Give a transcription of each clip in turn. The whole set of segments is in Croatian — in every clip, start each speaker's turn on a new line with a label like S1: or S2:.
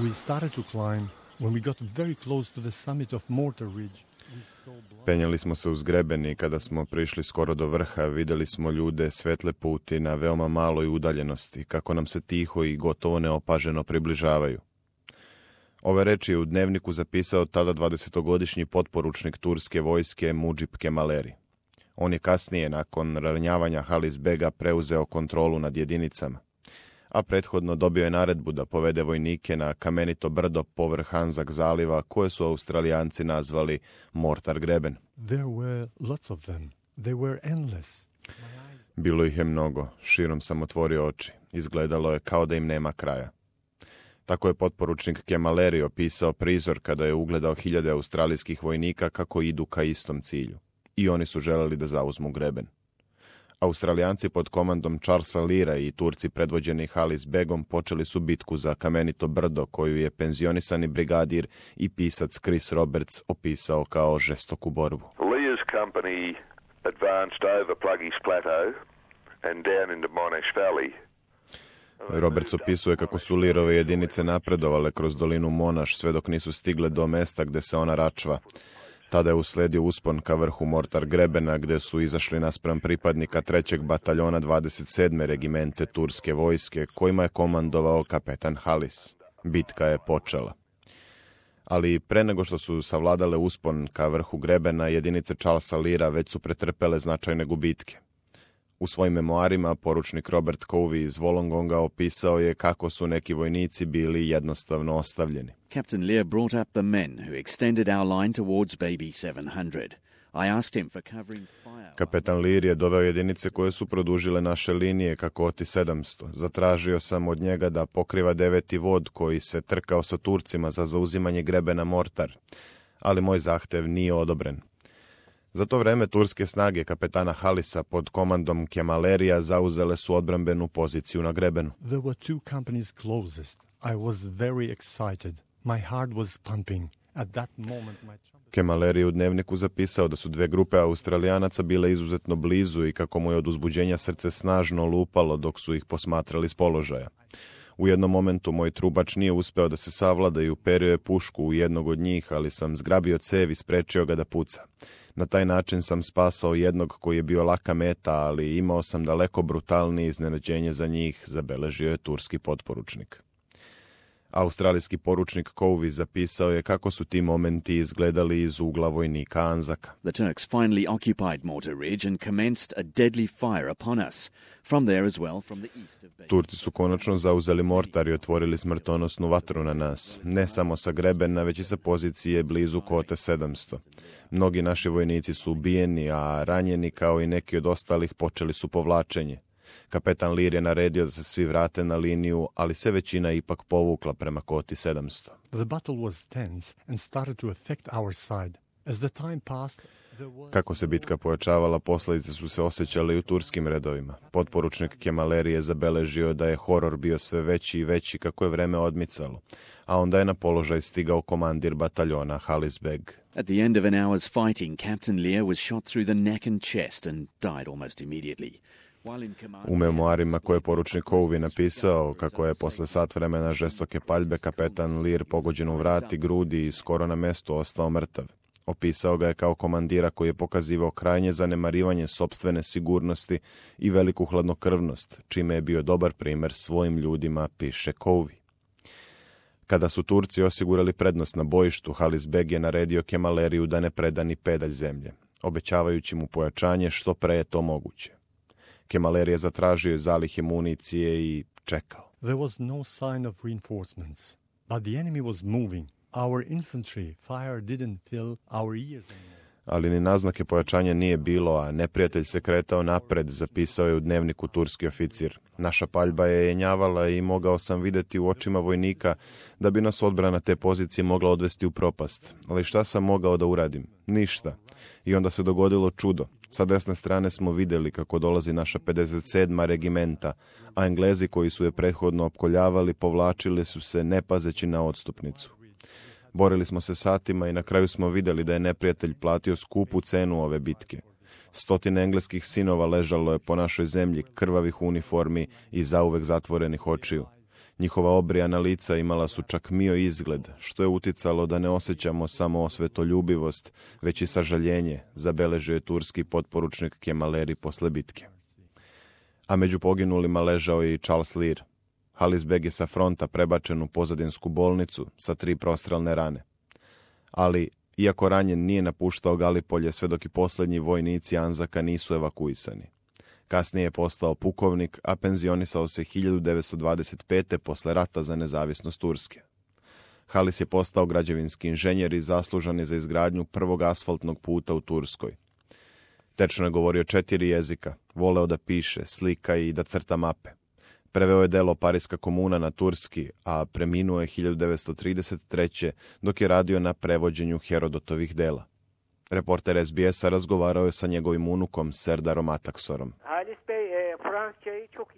S1: We started to climb when we got very close to the summit of Mortar Ridge.
S2: Penjali smo se uz greben i kada smo prišli skoro do vrha, vidjeli smo ljude svetle puti na veoma maloj udaljenosti, kako nam se tiho i gotovo neopaženo približavaju. Ove reči je u dnevniku zapisao tada 20-godišnji potporučnik turske vojske Mudžib Kemaleri. On je kasnije, nakon ranjavanja Halis Bega, preuzeo kontrolu nad jedinicama, a prethodno dobio je naredbu da povede vojnike na kamenito brdo povrh Anzac zaliva, koje su Australijanci nazvali Mortar Greben.
S1: There were lots of them. They were endless.
S2: Bilo ih je mnogo, širom sam otvorio oči. Izgledalo je kao da im nema kraja. Tako je potporučnik Kemaleri opisao prizor kada je ugledao hiljade australijskih vojnika kako idu ka istom cilju. I oni su želeli da zauzmu greben. Australijanci pod komandom Charlesa Leara i Turci predvođeni Halis Begom počeli su bitku za kamenito brdo, koju je penzionisani brigadir i pisac Chris Roberts opisao kao žestoku borbu.
S3: Lear's company advanced over Pluggy's Plateau and down into Monash Valley.
S2: Roberts opisuje kako su Learove jedinice napredovale kroz dolinu Monash sve dok nisu stigle do mesta gde se ona račva. Tada je usledio uspon ka vrhu Mortar Grebena, gde su izašli naspram pripadnika 3. bataljona 27. regimente turske vojske, kojima je komandovao kapetan Halis. Bitka je počela. Ali pre nego što su savladale uspon ka vrhu Grebena, jedinice Charlesa Leara već su pretrpele značajne gubitke. U svojim memoarima poručnik Robert Covey iz Wollongonga opisao je kako su neki vojnici bili jednostavno ostavljeni.
S4: Captain Lear brought up the men who extended our line towards Baby 700. I asked him for covering fire.
S2: Kapetan Lear je doveo jedinice koje su produžile naše linije ka Koti 700. Zatražio sam od njega da pokriva 9. vod koji se trkao sa Turcima za zauzimanje grebena Mortar, ali moj zahtev nije odobren. Za to vreme turske snage kapetana Halisa pod komandom Kemalerija zauzele su odbrambenu poziciju na grebenu.
S1: There were two companies closest. I was very excited. My heart was pumping. At that moment
S2: Kemaleri je u dnevniku zapisao da su dve grupe Australijanaca bile izuzetno blizu i kako mu je od uzbuđenja srce snažno lupalo dok su ih posmatrali s položaja. U jednom momentu moj trubač nije uspeo da se savlada i uperio je pušku u jednog od njih, ali sam zgrabio cev i sprečio ga da puca. Na taj način sam spasao jednog koji je bio laka meta, ali imao sam daleko brutalnije iznenađenje za njih, zabeležio je turski potporučnik. Australijski poručnik Covey zapisao je kako su ti momenti izgledali iz ugla vojnika Anzaka.
S4: The Turks finally occupied Mortar Ridge and commenced a deadly fire upon us. From there as well, from the east of Baby.
S2: Turci su konačno zauzeli Mortar i otvorili smrtonosnu vatru na nas, ne samo sa grebena, već i sa pozicije blizu Kote 700. Mnogi naši vojnici su ubijeni, a ranjeni kao i neki od ostalih počeli su povlačenje. Kapetan Lear je naredio da se svi vrate na liniju, ali se većina ipak povukla prema Koti 700.
S1: the battle was tense and started to affect our side. As the time passed, there was...
S2: Kako se bitka pojačavala, posljedice su se osjećale i u turskim redovima. Potporučnik Kemaleri je zabeležio da je horor bio sve veći i veći kako je vreme odmicalo, a onda je na položaj stigao komandir bataljona Halis Beg.
S4: At the end of an hour's fighting, Captain Lear was shot through the neck and chest and died almost immediately.
S2: U memoarima koje je poručnik Covey napisao kako je posle sat vremena žestoke paljbe kapetan Lear pogođen u vrat i grudi i skoro na mestu ostao mrtav. Opisao ga je kao komandira koji je pokazivao krajnje zanemarivanje sopstvene sigurnosti i veliku hladnokrvnost, čime je bio dobar primer svojim ljudima, piše Covey. Kada su Turci osigurali prednost na bojištu, Halis Beg je naredio Kemaleriju da ne preda ni pedalj zemlje, obećavajući mu pojačanje što pre je to moguće. Kemaleri je zatražio zalihe municije i čekao.
S1: There was no sign of reinforcements, but the enemy was moving. Our infantry fire didn't fill our ears anymore.
S2: Ali ni naznake pojačanja nije bilo, a neprijatelj se kretao napred, zapisao je u dnevniku turski oficir. Naša paljba je jenjavala i mogao sam vidjeti u očima vojnika da bi nas odbrana te pozicije mogla odvesti u propast. Ali šta sam mogao da uradim? Ništa. I onda se dogodilo čudo. Sa desne strane smo vidjeli kako dolazi naša 57. regimenta, a Englezi koji su je prethodno opkoljavali povlačili su se ne pazeći na odstupnicu. Borili smo se satima i na kraju smo vidjeli da je neprijatelj platio skupu cenu ove bitke. 100 engleskih sinova ležalo je po našoj zemlji, krvavih uniformi i zauvek zatvorenih očiju. Njihova obrijana lica imala su čak mio izgled, što je uticalo da ne osjećamo samo osvetoljubivost, već i sažaljenje, zabeležio je turski potporučnik Kemaleri posle bitke. A među poginulima ležao je i Charles Lear. Halis Beg je sa fronta prebačen u pozadinsku bolnicu sa 3 prostrelne rane. Ali, iako ranjen, nije napuštao Galipolje sve dok i posljednji vojnici Anzaka nisu evakuisani. Kasnije je postao pukovnik, a penzionisao se 1925. posle rata za nezavisnost Turske. Halis je postao građevinski inženjer i zaslužan je za izgradnju prvog asfaltnog puta u Turskoj. Tečno je govorio 4 jezika, voleo da piše, slika i da crta mape. Preveo je delo Parijska komuna na turski, a preminuo je 1933. dok je radio na prevođenju Herodotovih dela. Reporter SBS-a razgovarao je sa njegovim unukom Serdarom Ataksorom.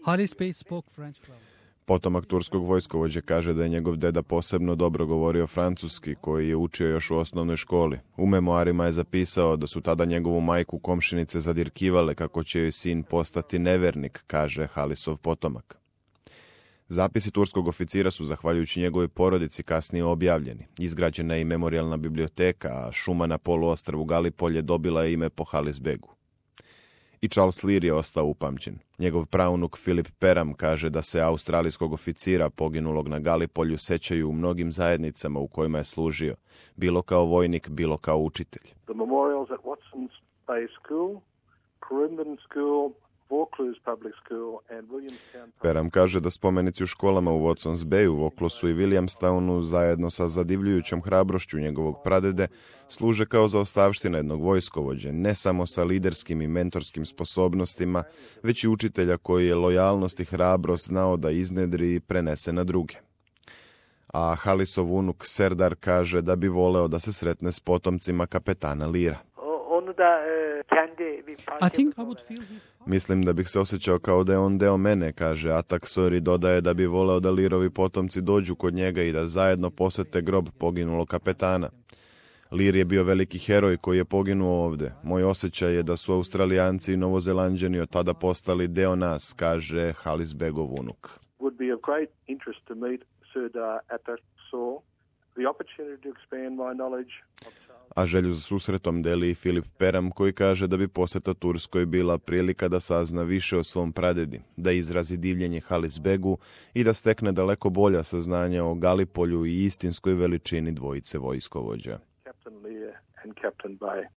S5: Halis Bey spoke French well.
S2: Potomak turskog vojskovođe kaže da je njegov deda posebno dobro govorio francuski, koji je učio još u osnovnoj školi. U memoarima je zapisao da su tada njegovu majku komšinice zadirkivale kako će joj sin postati nevernik, kaže Halisov potomak. Zapisi turskog oficira su, zahvaljujući njegovoj porodici, kasnije objavljeni. Izgrađena je i memorijalna biblioteka, a šuma na poluostrvu Galipolje dobila je ime po Halis Begu. I Charles Lear je ostao upamćen. Njegov praunuk Philip Peram kaže da se australijskog oficira poginulog na Galipolju sećaju u mnogim zajednicama u kojima je služio, bilo kao vojnik, bilo kao učitelj.
S6: The memorials at Watson's Bay School, Corumban School, Vaucluse Public School and Williamstown.
S2: Peram kaže da spomenici u školama u Watson's Bayu, Vauclusu i Williamstownu zajedno sa zadivljujućom hrabrošću njegovog pradede služe kao zaostavština jednog vojskovođe, ne samo sa liderskim i mentorskim sposobnostima, već i učitelja koji je lojalnost i hrabrost znao da iznedri i prenese na druge. A Halisov unuk Serdar kaže da bi voleo da se sretne s potomcima kapetana Leara.
S5: I think I would feel his...
S2: Mislim da bih se osjećao kao da je on deo mene, kaže Ataksor i dodaje da bi voleo da Learovi potomci dođu kod njega i da zajedno posete grob poginulog kapetana. Lear je bio veliki heroj koji je poginuo ovde. Moj osjećaj je da su Australijanci i Novozelanđani od tada postali deo nas, kaže Halis Begov unuk.
S6: Would be of great interest to meet Serdar Ataksor, the opportunity to expand my knowledge of
S2: A želju za susretom deli i Philip Peram, koji kaže da bi poseta Turskoj bila prilika da sazna više o svom pradedi, da izrazi divljenje Halis Begu i da stekne daleko bolja saznanja o Galipolju i istinskoj veličini dvojice vojskovođa.
S6: Captain Lear and Captain Bay.